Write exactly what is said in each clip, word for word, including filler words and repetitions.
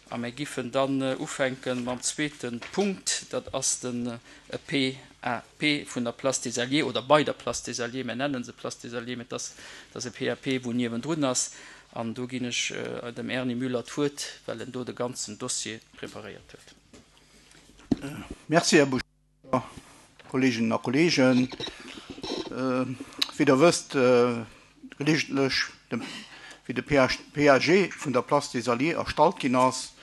A mir giffen dann ufänke mam zweete Punkt, dat ass de P A P vun der Place des Alliés oder bei der Place des Alliés. Mir nennen se Place des Alliés, mee et ass, dat ass e P A P, wou niewendrun ass. An do ginn ech dem Erny Müller d'Wuert, well en do de ganzen Dossier preparéiert huet. Merci, Här Bouchard. Kolleeginnen a Kolleegen, wéi Der wësst, gelegentlech, wéi de P A G vun der Place des Alliés erstallt ginn ass,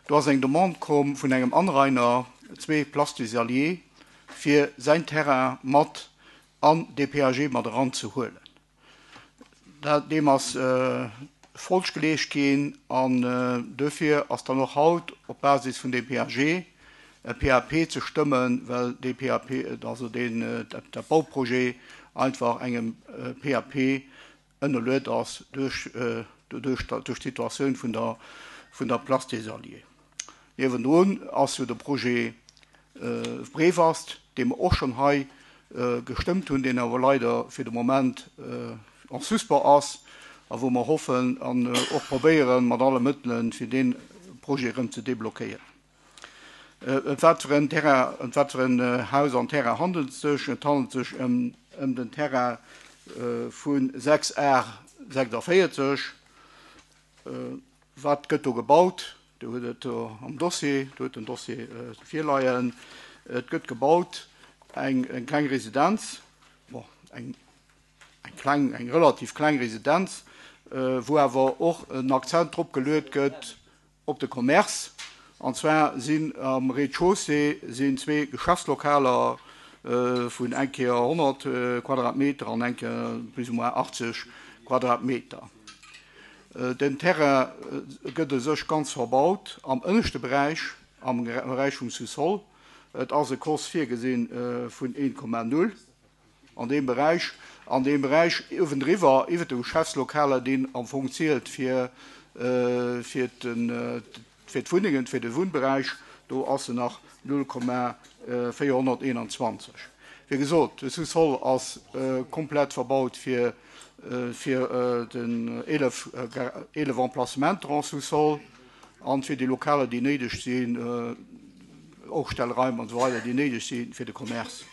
do ass eng Demande komm vun engem Anrainer, zwee Place des Alliés, fir säin Terrain mat an dee P A G mat eranzehuelen. Deem ass Folg geleescht ginn an duerfir ass dann och haut op Basis vun deem P A G e P A P ze stëmmen, well dee P A P, also deen, dat Bauprojet einfach engem P A P ënnerluet ass duerch duerch d'Situatioun vun der vun der Place des Alliés. Niewendrun ass jo de Projet Brevast, dee mer och schonn hei gestëmmt hunn, deen awer leider fir de Moment en suspens ass a wou mer hoffen an och probéieren mat alle Mëttelen, fir dee Projet erëm ze deblockéieren. Ëm wat fir en Terrain, ëm wat fir en Haus an Terrain handelt et sech? Et handelt sech ëm ëm den Terrain vu sechs A sechsundvierzig. Wat gëtt do gebaut? Do hutt et am Dossier, do hutt den Dossier virleien. Et gëtt gebaut eng eng kleng Residenz, bon, eng eng kleng, eng relativ kleng Residenz, wou awer och en Akzent drop geluet gëtt op de Commerce. An zwar sinn am Rez-de-chaussée sinn zwee Geschäftslokaler vun eng Kéier honnert Quadratmeter an eng Kéier plus ou moins achtzeg Quadratmeter. Den Terrain gëtt u sech ganz verbaut am ënneschte Beräich, am Beräich vum Sous-sol. Et ass e C O S virgesinn vun een Komma null an deem Beräich. An deem Beräich uewendriwwer, iwwer de Geschäftslokaler, deen am Fong zielt fir fir fir d'Wunnengen, fir de Wunnberäich, do ass en nach null Komma véierhonnerteenanzwanzeg. Wéi gesot, de Sous-sol ass komplett verbaut fir fir den eelef eelef Emplacementer en sous-sol an fir déi Lokaler, déi néideg sinn, Aufstellraim an esou weider, déi néideg si fir de Commerce.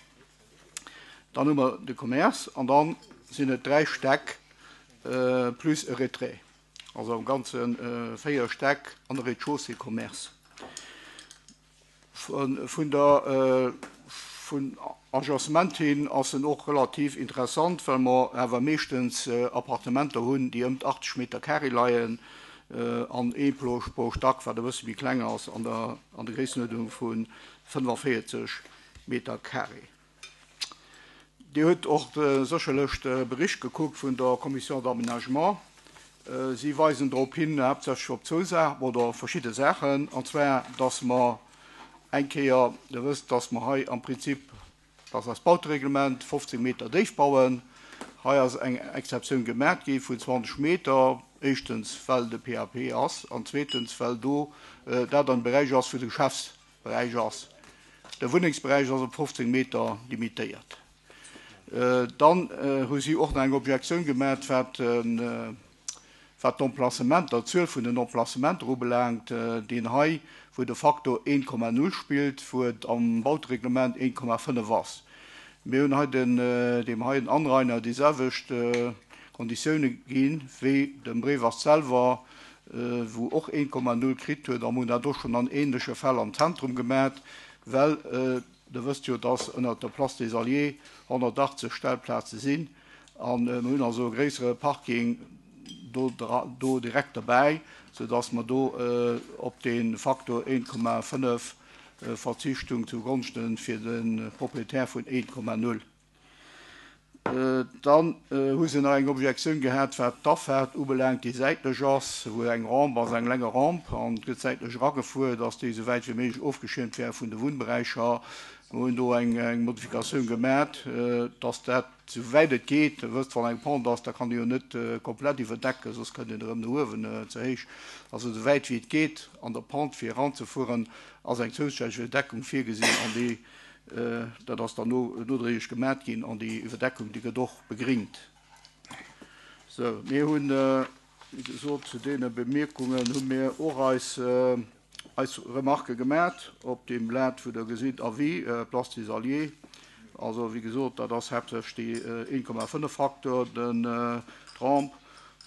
Dann hu mer de Commerce an dann sinn et dräi Stäck plus e Retrait. Also am Ganze véier Stäck an de Rez-de-chaussée Commerce. Vun der vun Agencement hin ass en och relativ interessant, well mer awer meeschtens Appartementer hunn, déi ëm d'achtzeg Meter carré leien an ee pro Stack, wat e bësse méi kleng ass, an der an der Gréissenuerdnung vu fënnefaviertzeg Meter carré. Dir hutt och sécherlech de Bericht gekuckt vun der Commission d'aménagement. Si weisen drop hin, haaptsächlech op zwou Saachen oder verschidde Saachen, an zwar, dass mer eng Kéier, Dir wësst, dass mer hei am Prinzip, dass eist Bautereglement fofzéng Meter déif bauen. Hei ass eng Exceptioun gemaach gi vun zwanzeg Meter, éischtens well de P A P ass an zweetens well do dat an Beräich ass, wou de Geschäftsberäich ass. De Wunnengsberäich ass op fofzéng Meter limitéiert. Dann hu si och nach eng Objektioun gemaach, wat wat d'Emplacementer, d'Zuel vun den Emplacementer ubelaangt, deen hei, wou de facto een Komma null spillt, wou et am Bautereglement een Komma fënnef ass. Mir hunn hei den, deem heien Anrainer déi selwecht Konditioune ginn, wéi dem Brevast selwer, wou och een Komma null kritt huet, a mir hunn dat och schonn an ähnleche Fäll am Zentrum gemaach, well Der wësst jo, dass ënnert der Place des Alliés honnertachtzeg Stellplaze sinn, a mir hunn also e gréissere Parking do, do direkt derbäi, soudass mer do op de Faktor een Komma fënnef verzicht hunn zugonschte fir de Proprietär vun een Komma null. Dann hu se nach eng Objektioun gehat, wat d'Afaart ubelaangt, déi säitlech ass, wou eng Rampe ass, eng länger Rampe, an et gëtt säitlech eragefuer, dass déi esou wäit wéi méiglech ofgeschiermt wär vun de Wunnberäicher. Mir hunn do eng Modifikatioun gemat, dass dat, esou wäit et geet, Dir wësst, wann eng Pente ass, da kann ee jo net komplett iwwerdecken, soss kënnt een erëm no uewen ze héich. Also esou wäit wéi et geet an der Pente fir eranzefueren, ass eng zousätzlech Iwwerdeckung virgesinn, an déi, dat ass dann nodréiglech gemat ginn, an déi Iwwerdeckung, déi gëtt och begringt. Sou, mir hunn Wéi gesot, zu deene Bemierkungen hu mir och eis, eis Remarquë gemat op deem Blat, wou Der gesitt, Avis, Place des Alliés. Also, wéi gesot, dat ass haaptsächlech déi een Komma fënnef Faktor, den Rampe.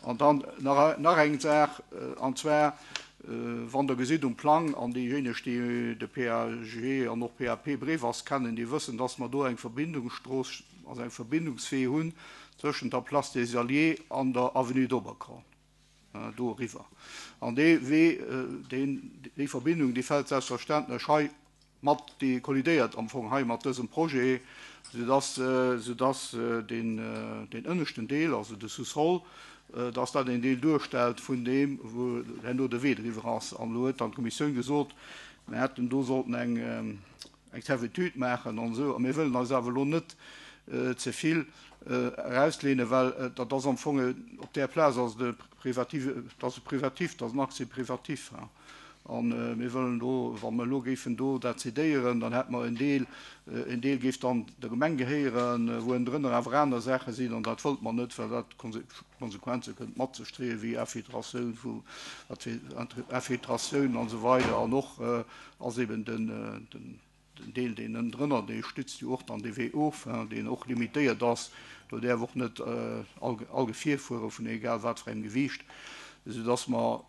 An dann nach, nach eng Saach, an zwar, wann Der gesitt um Plang, an déijéineg, déi de P A G an och P A P Brevas kennen, déi wëssen, dass mer do eng Verbindungsstrooss, also eng Verbindungswee hunn zwëschent der Place des Alliés an der Avenue d'Oberkorn, do eriwwer. An dee Wee, deen, déi Verbindung, déi fält selbstverständlech hei mat, déi kollidéiert am Fong hei mat dësem Projet, soudass, soudass deen, deen ënneschten Deel, also de Sous-sol, dass dat een Deel duerstellt vun deem, wou herno de Wee driwwer ass. An elo huet dann d'Kommissioun gesot, mir hätten do sollten eng, eng Servitude maachen an esou. A mir wëllen eis awer elo net ze vill erauslehnen, well dat ass am Fong op där Plaz ass de privativ, dat ass e privatif, dat ass en Accès privatif. An mir wëllen do, wa mer elo géifen do dat cédéieren, dann hätte mer en Deel, en Deel géif dann der Gemeng gehéieren, wou ënnendrënner awer aner Saache sinn, an dat wollt mer net, well dat Konsequenze kënnt mat sech dréien, wéi Infiltratioun vu, wat fir Infiltratioun an esou weider. An och ass eben den, den, den Deel, deen ënnendrënner, dee stützt jo och dann de Wee of, deen och limitéiert ass, do däerf och net all, all Gefier fuere vun egal wat fir engem Gewiicht, soudass mer,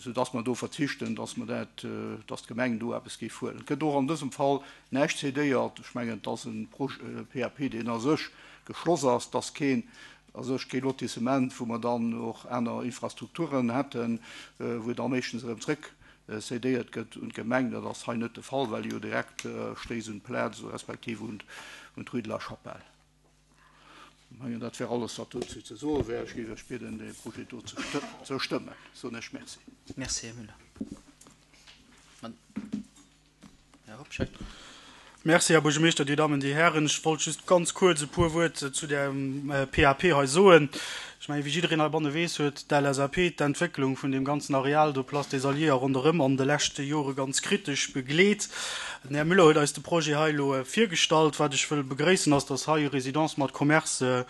soudass mer do verzichten, dass mer dat, dass d'Gemeng do eppes géif huelen. Et gëtt och an dësem Fall näischt cédéiert. Ech mengen, et ass en P A P, deen a sech geschloss ass, dass keen, a sech kee Lotissement, wou mer dann och aner Infrastrukturen hätten, wou da meeschtens erëm zréck cédéiert gëtt un d'Gemeng. Dat ass hei net de Fall, well jo direkt stéisst un d'Plaz, respektiv un, un d'Rue de la Chapelle. Ich meine, dat wär alles, wat dozou ze soe wär. Ech géif Iech bidden, de Projet do ze stë-, ze stëmmen. Soen ech merci. Merci, Här Müller. Herr Hobscheit. Merci, Herr Buergermeeschter, Dir Damen, Dir Herren. Ech wollt just ganz kuerz e puer Wuert zu der P A P hei soen. Ech meine, wéi jiddereen heibanne weess, huet d'L S A P d'Entwécklung vun dem ganzen Areal do Place des Alliés a ronderëm an de leschte Jore ganz kritesch begleet. Den Här Müller huet eis de Projet hei elo virgestallt. Wat ech wëll begréissen, ass, dass hei Résidence mat Commerce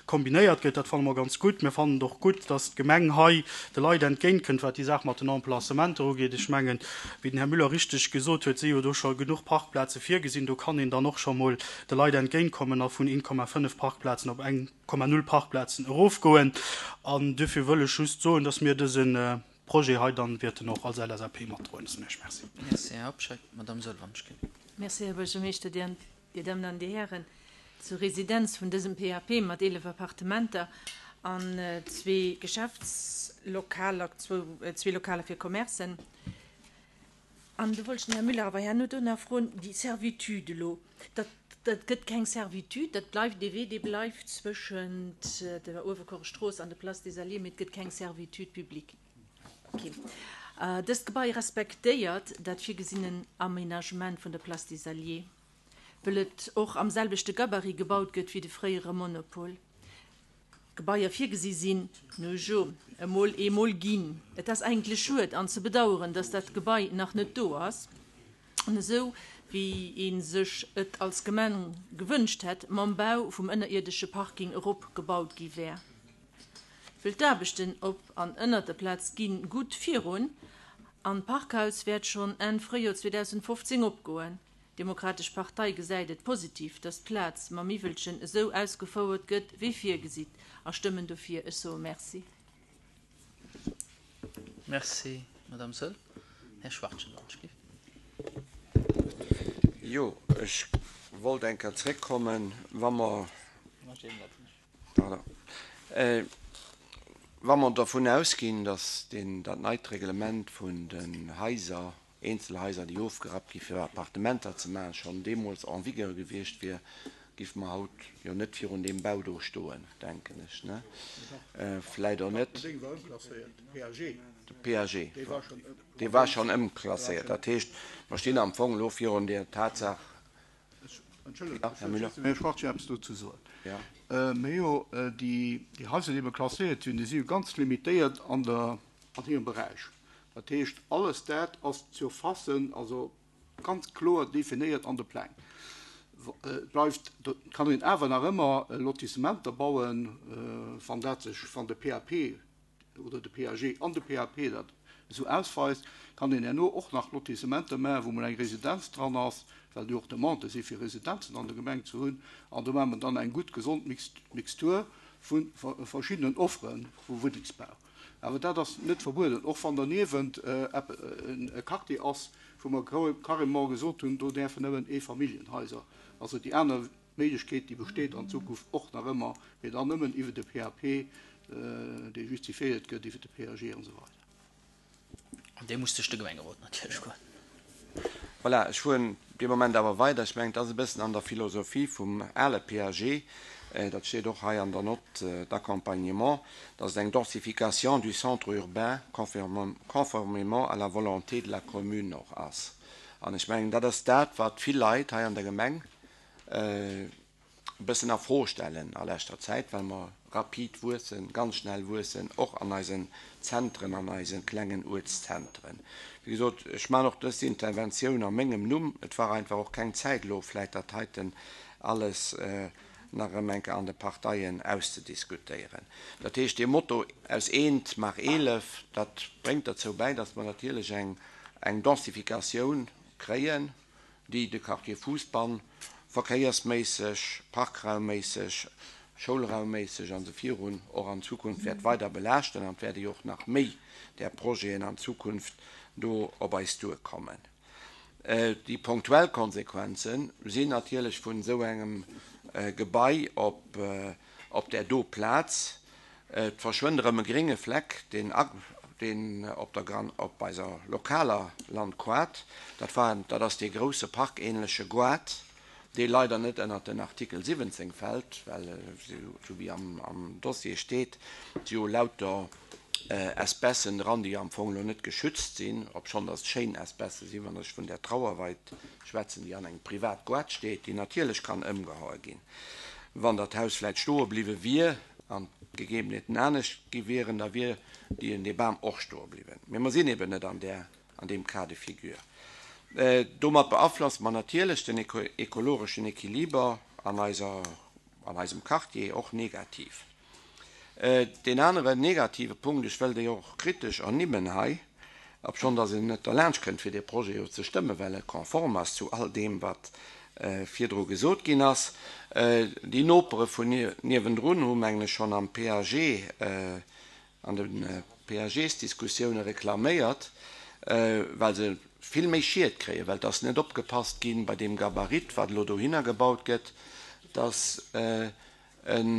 kombinéiert gëtt. Dat fanne mer ganz gutt. Mir fannen och gutt, dass d'Gemeng hei de Leit entgéintkënnt, wat déi Saach mat den Emplacementer ugeet. Ech mengen, wéi den Här Müller richteg gesot huet, si jo do scho genuch Parkplaze virgesinn. Do kann een dann och scho mol de Leit entgéintkommen a vun een Komma fënnef Parkplazen op eng Komma null Parkplazen erofgoen. An dofir wëll ech just soen, dass mir dësen Projet hei dann wäerten och als L S A P matdroen. Merci. Merci, Här Hobscheit. Madame Sölvanschke. Merci, Här Buergermeeschter, Dir, Dir Damen an Dir Herren. Zur Residenz vun dësem P A P mat eelef Appartementer an zwee Geschäftslokaler, zwee Lokaler fir Commercen. An du wolltest den Herr Müller awer herno do nach froen, déi Servitude elo, dat, dat gëtt keng Servitude, dat bleift dee Wee, dee bleift zwëschent der Uewerkuerer an der Place des Alliés, mee et gëtt keng Servitude publique. Okay. Äh, dëst Gebai respektéiert dat virgesinnen Aménagement vun der Place des Alliés, well et och am selwechte Gabarit gebaut gëtt wéi de fréiere Monopol. Gebaier virgesi sinn, no jo, emol eemol ginn. Et ass eigentlech schued an ze bedauern, dass dat Gebai nach net do ass. An esou, wéi een sech et als Gemeng gewënscht hätt, mam Bau vum ënnerierdesche Parking erop gebaut gi wär. Wëll d'Aarbechten op an ënner der Plaz ginn gutt virun, an Parkhaus wäert schonn Enn Fréijoer zweedausendfofzéng opgoen. Demokratesch Partei gesäit et positiv, dass d'Plaz mam Miwwelchen esou ausgefouert gëtt, wéi virgesitt, a stëmmen dofir. Ech soe merci. Merci, Madame Söll. Herr Schwartchen. Jo, ech wollt eng Kéier zréckkommen, wa mer Pardon. Äh, wa mer davon ausginn, dass den, dat neit Reglement vun den Haiser, Einzelhaiser, déi ofgerappt gi fir Appartementer ze maachen, schon deemools en vigueur gewiescht wier, géif mer haut jo net virun dem Bau do stoen, denken ech, ne? Äh, vläicht och net. De P A G. De P A G. Dee war schon ëmklasséiert. Dat heescht, mer stinn am Fong elo virun der Tatsaach. Entschuldigung, Ja, Herr Müller. Ech wollt jo eppes dozou soen. Ja. Äh, mir jo, äh, déi, déi Haiser, déi klasséiert sinn, déi si jo ganz limitéiert an der, an hirem Beräich. Dat heescht, alles dat ass zu fassen, also ganz kloer definéiert an de Pläng. W-, äh, bleift, do kann een awer nach ëmmer, äh, Lotissementer bauen, äh, wann dat sech, wann de P A P oder de P A G an de P A P dat esou ausweist, kann een herno och nach Lotissementer maachen, wou mol eng Residenz dran ass, well jo och Demande si fir Residenzen an der Gemeng ze hunn, an do maache mer dann eng gutt gesond Mixtur vu verschiddenen Offere vu Wunnengsbau. Awer dat ass net verbueden, och wann derniewent e Quartier ass, wou mer carrément gesot hunn, do däerfen nëmmen Eefamilljenhaiser. Also déi aner Méiglechkeet, déi besteet an Zukunft och nach ëmmer, mee dann nëmmen iwwer de P A P, dee justifiéiert gëtt iwwer de P A G an esou weider. An dee muss duerch de Gemengerot natierlech goen. Voilà, ech fueren dee Moment awer weider. Ech mengen, et ass e bëssen an der Philosophie vum ale P A G, dat steet och hei an der Note d'accompagnement, dass et eng Densification du centre urbain conformément à la volonté de la commune och ass. An ech mengen, dat ass dat, wat vill Leit hei an der Gemeng e bëssen a Fro stellen a leschter Zäit, well mer rapid wuessen, ganz schnell wuessen, och an eisen Zentren, an eise klengen Uertszentren. Wéi gesot, ech maachen och dës Interventioun a mengem Numm. Et war einfach och keng Zäit elo vläicht dat heiten alles nach erëm eng Kéier an de Parteien auszediskutéieren. Dat heescht, dee Motto aus eent maach eelef, dat bréngt derzou bäi, datt mer natierlech eng eng Densifikatioun kréien, déi de Quartier Fousbann verkéiersméisseg, parkraumméisseg, schoulraumméisseg an esou virun och an Zukunft wäert weider belaaschten an et wäerte jo och nach méi där Projeten an Zukunft do op eis duerkommen. Déi punktuell Konsequenze sinn natierlech vun esou engem Gebai op op där do Plaz, et verschwënnt erëm e grénge Fleck, deen deen op der Gran op eiser lokaler Landquart, dat war dat ass dee grousse parkähnleche Goart, dee leider net ënnert den Artikel siwwenzéng fält, well, esou wéi am Dossier steet, si jo lauter Espècen dran, déi am Fong elo net geschützt sinn, obschonn datt et schéin Espècë sinn, wann ech vun där Trauerweid schwätzen, déi an engem Privatgoart steet, déi natierlech kann ëmgehaue ginn. Wann dat Haus vläicht stoe bliwwe wier an d'Gegebenheeten anescht gi wieren, da wier dee Bam och stoe bliwwen. Mee mer sinn eben net an där, an deem Cas de figure. Domat beaflosse mer natierlech den ekologeschen Equiliber an eiser, an eisem Quartier och negativ. Deen aneren negative Punkt, ech wëll déi och kritesch ernimmen hei, obschonn datt een net derlaanscht kënnt fir dee Projet jo ze stëmmen, well e konform ass zu all deem wat virdru gesot ginn ass, déi Nopere vun niewendrun hu mengen ech schonn am P A G, an de P A Gs-Diskussioune reklaméiert, well se vill méi Schied kréien, well et ass net opgepasst ginn bei deem Gabarit, wat elo dohinner gebaut gëtt, datt en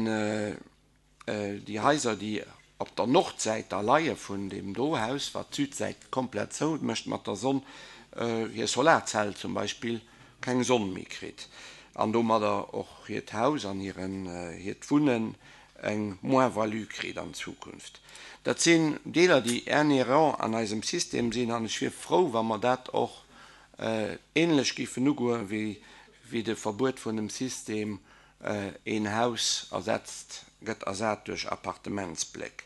déi Haiser, déi op der Nordsäit da leie vun deem do Haus, wat d'Südsäit komplett zou mécht mat der Sonn, hir Solarzell zum Beispill keng Sonn méi kritt an domadder och hiert Haus an hiren, hiert Wunnen eng Moins-value kritt an Zukunft. Dat sinn Deeler, déi inhérent an eisem System sinn, an ech wier frou, wa mer dat och ähnlech géifen ugoen, wéi, wéi de Verbuet vun dem System een Haus ersetzt, gëtt ersat duerch Appartementsbléck.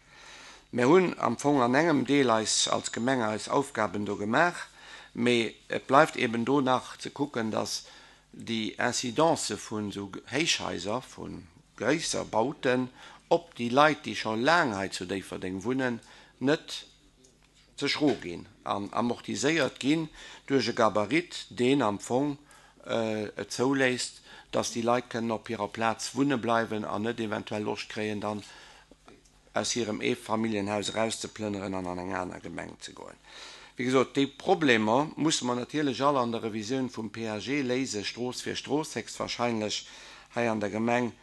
Mir hunn am Fong an engem Deel eis als Gemeng eis Aufgaben do gemaach, mee et bleift eben do nach ze kucken, dass déi Incidence vun esou Héichhaiser, vu gréisser Bauten op déi Leit, déi scho laang hei zu Déifferdeng wunnen, net ze schro ginn an amortiséiert ginn duerch e Gabarit, deen am Fong et zouléisst, dass déi Leit kënnen op hirer Plaz wunne bleiwen an net eventuell Loscht kréien, dann aus hirem Eefamilljenhaus erauszeplënneren an an eng aner Gemeng ze goen. Wéi gesot, déi Problemer musse mer natierlech all an der Revisioun vum P A G léisen, Strooss fir Strooss héchstwahrscheinlech hei an der Gemeng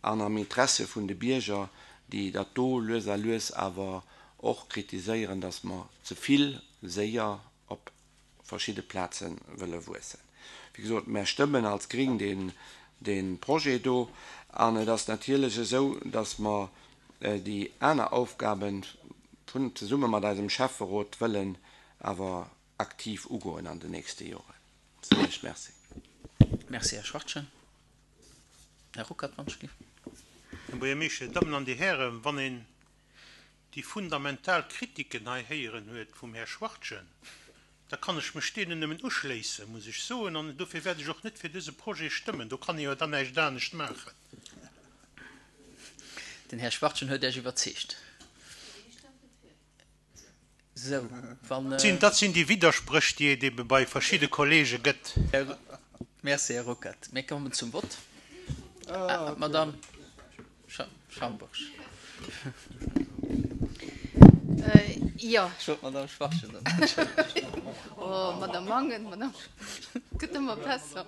an am Interesse vun de Bierger, déi dat do lues a lues awer och kritiséieren, dass mer ze vill séier op verschidde Plaze wëlle wuessen. Wéi gesot, mär stëmmen als Gring deen, dee Projet do an et ass natierlech esou, dass mer déi aner Aufgaben vun zesumme mat eisem Schäfferot wëllen awer aktiv ugoen an den nächste Joren. Soen ech Merci. Merci, Här Schwachtgen. Här Ruckert, wann ech géif. Här Buergermeeschter, Dir Dammen an Dir Hären, wann een déi fundamental Kritiken hei héieren huet vum Här Schwachtgen, da kann ech mech deenen nëmmen uschléissen, muss ech soen, an dofir wäert ech och net fir dëse Projet stëmmen. Do kann ee jo dann näischt anescht maachen. Den Här Schwachtgen huet Iech iwwerzeegt. Sou, wann. Dat sinn déi Widderspréch, déi et ebe bei verschidde Kollege gëtt. Merci, Här Ruckert. Mir kommen zum Vott. Madamm Schambourg. Jo. Ech wollt d'Madamm Schwachtgen soen. Oh, Madamm Mangen, Madamm Schwachtgen, et gëtt ëmmer besser.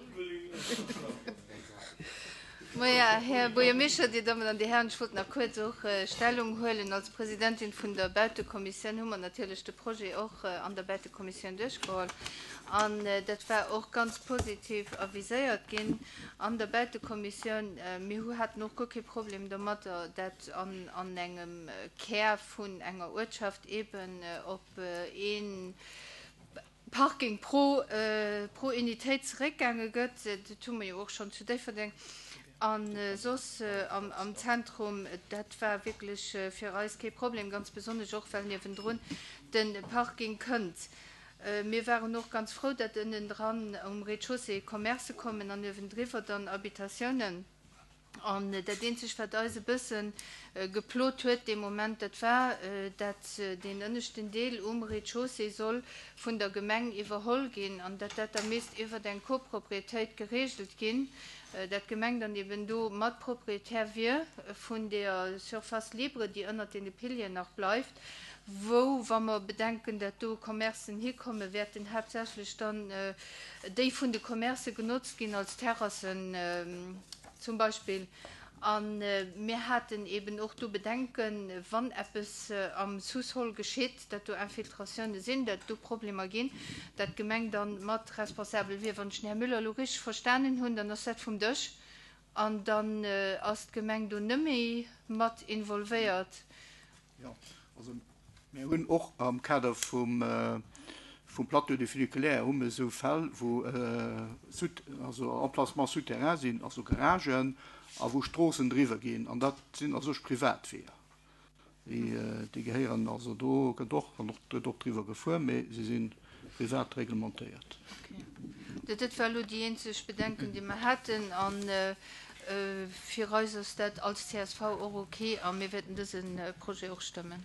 Maja, Här Buergermeeschter, Dir Dammen an Dir Hären, ech wollt nach kuerz och Stellung huelen. Als Presidentin vun der Bautekommissioun hu mer natierlech de Projet och an der Bautekommissioun duerchgeholl. An dat war och ganz positiv aviséiert ginn an der Bautekommissioun. Mir hu haten och guer kee Problem domatter, dat an an engem Kär vun enger Uertschaft eeben op ee Parking pro pro Unitéit zeréckgaange gëtt. Dat hu mer jo och schonn zu Déifferdeng a soss am am Zentrum. Dat war wierklech fir eis kee Problem, ganz besonnesch och well niewendrun de Parking kënnt. Mir waren och ganz frou, datt ënnendran um Rez-de-chaussée Commercë kommen an uewendriwwer dann Habitatiounen. An dat eenzegt, wat eis e bësse geplot huet dee Moment, dat war, datt deen ënneschten Deel um Rez-de-chaussée soll vun der Gemeng iwwerholl ginn an datt dat da misst iwwert eng Copropriétéit geregelt ginn, datt d'Gemeng dann eben do mat Propriétaire wier vun deeër Surface libre, déi ënnert deene Pilieren nach bleift, wou, wa mer bedenken, datt do Commercen hikommen, wäerten haaptsächlech dann déi vun de Commercë genotzt ginn als Terrassen zum Beispill. A mir haten eben och do Bedenken, wann eppes am Sous-sol geschitt, datt do Infiltratioune sinn, datt do Problemer ginn, datt d'Gemeng da mat responsabel wier. Wann ech den Här Müller elo richteg verstanen hunn, dann ass dat vum Dësch an dann ass d'Gemeng do net méi mat involvéiert. Jo, also mir hunn och am Kader vum vum Plateau du funiculaire hu mir esou Fäll, wou sous, also Emplacements souterrains sinn, also Garagen, a wou Stroossen driwwer ginn, an dat sinn a sech Privatweeër. Déi, déi gehéieren also do gëtt och, kann och, gëtt och driwwer gefuer, mee se si privat reglementéiert. Okay. Dat war elo déi eenzeg Bedenken, déi mer haten, a fir eis ass dat als C S V och okay a mir wäerten dëse Projet och stëmmen.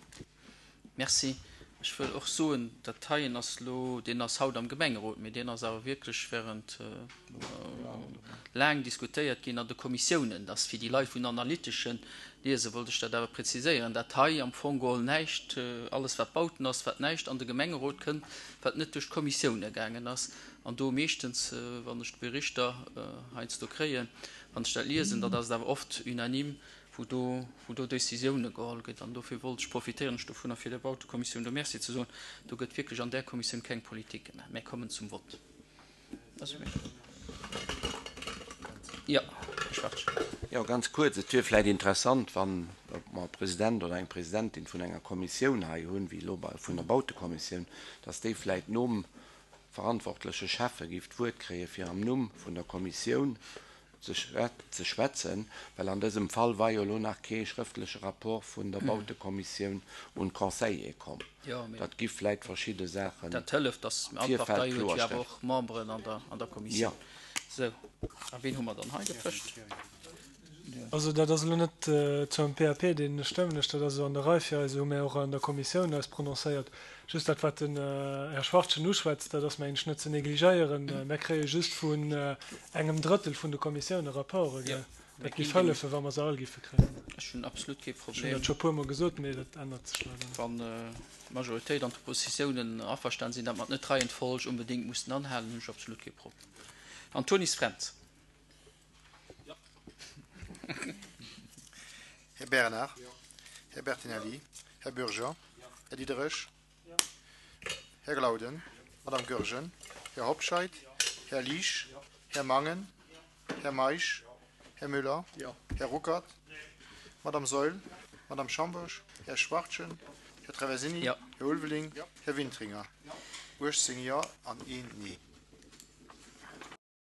Merci. Ech wëll och soen, dat heien ass elo, deen ass haut am Gemengerot, mee deen ass awer wierklech während laang diskutéiert ginn an de Kommissiounen. Dat ass fir déi Leit vun analyteschen Liese wollt ech dat awer präziséieren, dat hei am Fong geholl näischt, alles wat Bauten ass, wat näischt an de Gemengerot kënnt, wat net duerch d'Kommissioune gaangen ass. An do meeschtens, wann ech d'Berichter heiansdo kréien, wann ech dat liesen, dat ass et awer oft unanime, wou do, wou do Décisioune geholl gëtt. An dofir wollt ech profitéieren ech dovunner, fir der Bautekommissioun do Merci ze soen. Do gëtt wierklech an där Kommissioun keng Politik gemaach. Mir kommen zum Vott. Jo, Här Schwartz. Jo, ganz kuerz. Et wier vläicht interessant, wann mer e President oder eng Presidentin vun enger Kommissioun hei hunn, wéi elo bei vun der Bautekommissioun, dass déi vläicht nom verantwortleche Schäffe géif d'Wuert kréie fir am Numm vun der Kommissioun ze schwätzen, well an dësem Fall war jo elo nach kee schrëftleche Rapport vun der Bautekommissioun un d'Conseiller komm. Dat gi vläicht verschidde Saachen Dat hëlleft, dass all Virfeld Partei huet jo awer kloerstellen. och Memberen an der, an der Kommissioun. Jo. Sou, a wien hu mer dann hei dotëscht? Also dat ass elo net zum P A P, deen stëmmen ech, dat ass esou an der Rei fir eis, hu mir och an der Kommissioun eis prononcéiert. Just dat, wat den Här Schwachtgen uschwätzt, dat ass mengen ech net ze negligéieren. Mir kréie just vun engem Drëttel vun de Kommissioune Rapporte, gell? Dat géif hëllefen, wa mer se all géife kréien. Ech hunn absolut kee Ech hunn Problem. dat scho puermol gesot, mee dat ännert sech leider net. Wann d'Majoritéit an d'Oppositiounen averstan sinn, datt mer net d'Reihenfolg unbedéngt mussen anhalen, hunn ech absolut kee Problem. Antonis Fränz. Här Bernard, Här Bertinelli, Här Bürger, Här Diderich, Här Glauden, Madame Goergen, Här Hobscheit, Här Liesch, Här Mangen, Här Meisch, Här Müller, Här Ruckert, Madame Saeul, Madame Schambourg, Här Schwachtgen, Här Traversini, Här Ulveling, Här Wintringer. uechtzéng Jo an een Nee.